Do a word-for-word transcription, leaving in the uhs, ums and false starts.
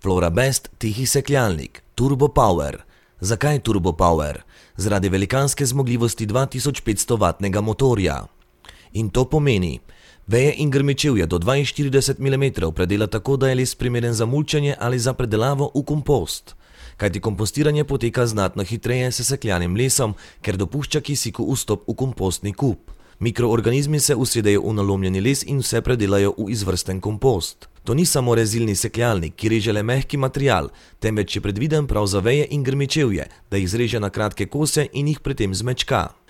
Florabest tihi sekljalnik, Turbo Power. Zakaj Turbo Power? Zaradi velikanske zmogljivosti dva tisoč petsto vatnega motorja. In to pomeni, veje in grmičevje do dvainštirideset milimetrov predela tako, da je les primeren za mulčenje ali za predelavo v kompost. Kajti kompostiranje poteka znatno hitreje s sekljanim lesom, ker dopušča kisiku vstop v kompostni kup. Mikroorganizmi se usedejo v nalomljeni les in vse predelajo v izvrsten kompost. To ni samo rezilni sekljalnik, ki reže le mehki material, temveč je predviden prav za veje in grmičevje, da jih zreže na kratke kose in jih pri tem zmečka.